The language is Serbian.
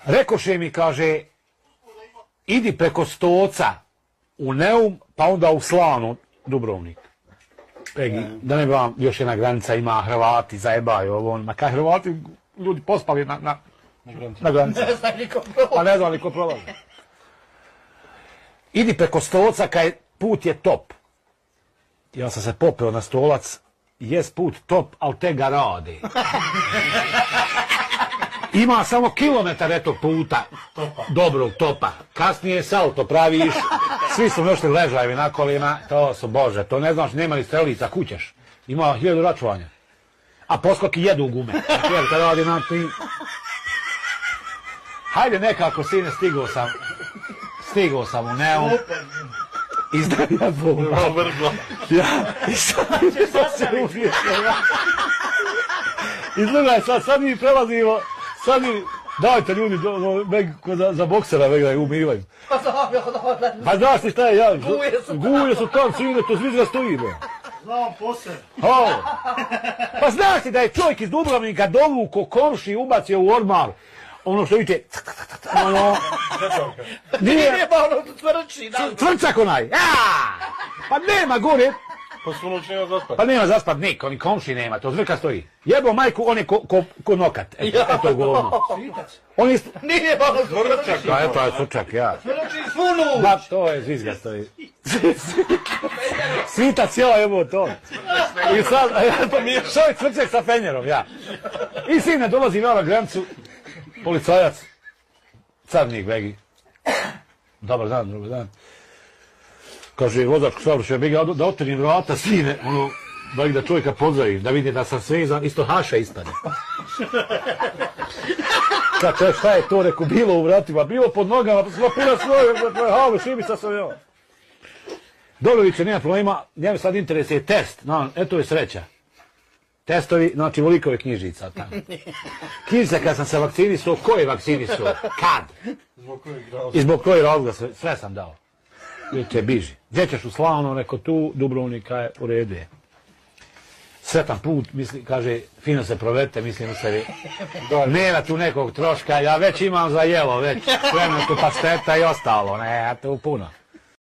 Rekoše mi, kaže, idi preko Stoca u Neum, pa onda u Slanu, Dubrovnik. Pegi, da ne bi vam još jedna granica ima, Hrvati zajebaju ovo, ma kaj Hrvati ljudi pospali na granici. Pa ne znam li ko prolazi. Idi preko Stoca, kaj put je top. Ja sam se popeo na Stolac, jest put top, ali te ga rade. Ima samo kilometar etog puta, dobrog topa. Kasnije salto praviš, svi su nošli ležajevi na kolima, to su, bože, to ne znaš, nema li strelica, kućeš. Ima 1000 računanja. A poskoki jedu gume. Jer kad radi na ti... Hajde nekako, sine, stigao sam u Neum. Izdavija bomba. Ja, i sad se uvijekao. Izgledaj, sad mi prelazimo, sad mi, dajte ljudi, za boksera vega umivaju. Pa znaš ti šta je, ja, guje su tam, sine, to zvizga stoji, be. Znam posebno. Pa znaš ti da je čovjek iz Dubrovnika dovuko komši ubacio u ormar, ono što vidite, ono... Nije ba ono tvrči. Tvrčak onaj, pa nema gore. Pa su noć nema zaspat. Pa nema zaspat niko, ni komši nema, to zvrka stoji. Jebo majku, on je ko nokat, eto govno. On je... Nije ba ono tvrčak. Pa eto je tvrčak, ja. Tvrči svunu. Ba, to je zvizga stoji. Svita cijela jebo to. I sad, što je tvrčak sa fenjerom, ja. I sine dolazi na granicu, policajac, carnik begi. Dobar dan. Kaže, vozačko saobraćaja, begi, da otvorim vrata, sine, ono, begi da čovjeka pozdravim, da vidi da sam svezan, isto haša ispade. Kaže, šta je to, reku, bilo u vratima, bilo pod nogama, pa sva puna svoje, halo, šibica sam ja. Dobroviće, nema problema, njemu sad interesuje test, no, eto je sreća. Testovi, znači volikove knjižica tamo. Knjižica kad sam se vakcinisao, ko je vakcinisao? Kad? I zbog kojeg razloga sve sam dao. Vidite, biži. Gdje ćeš u Slano, neko tu, Dubrovnika je u redu je. Sretan put, misli, kaže, fino se provedete, mislim u sebi. Nema tu nekog troška, ja već imam za jelo, već. Spremno tu pasteta i ostalo, ne, tu puno.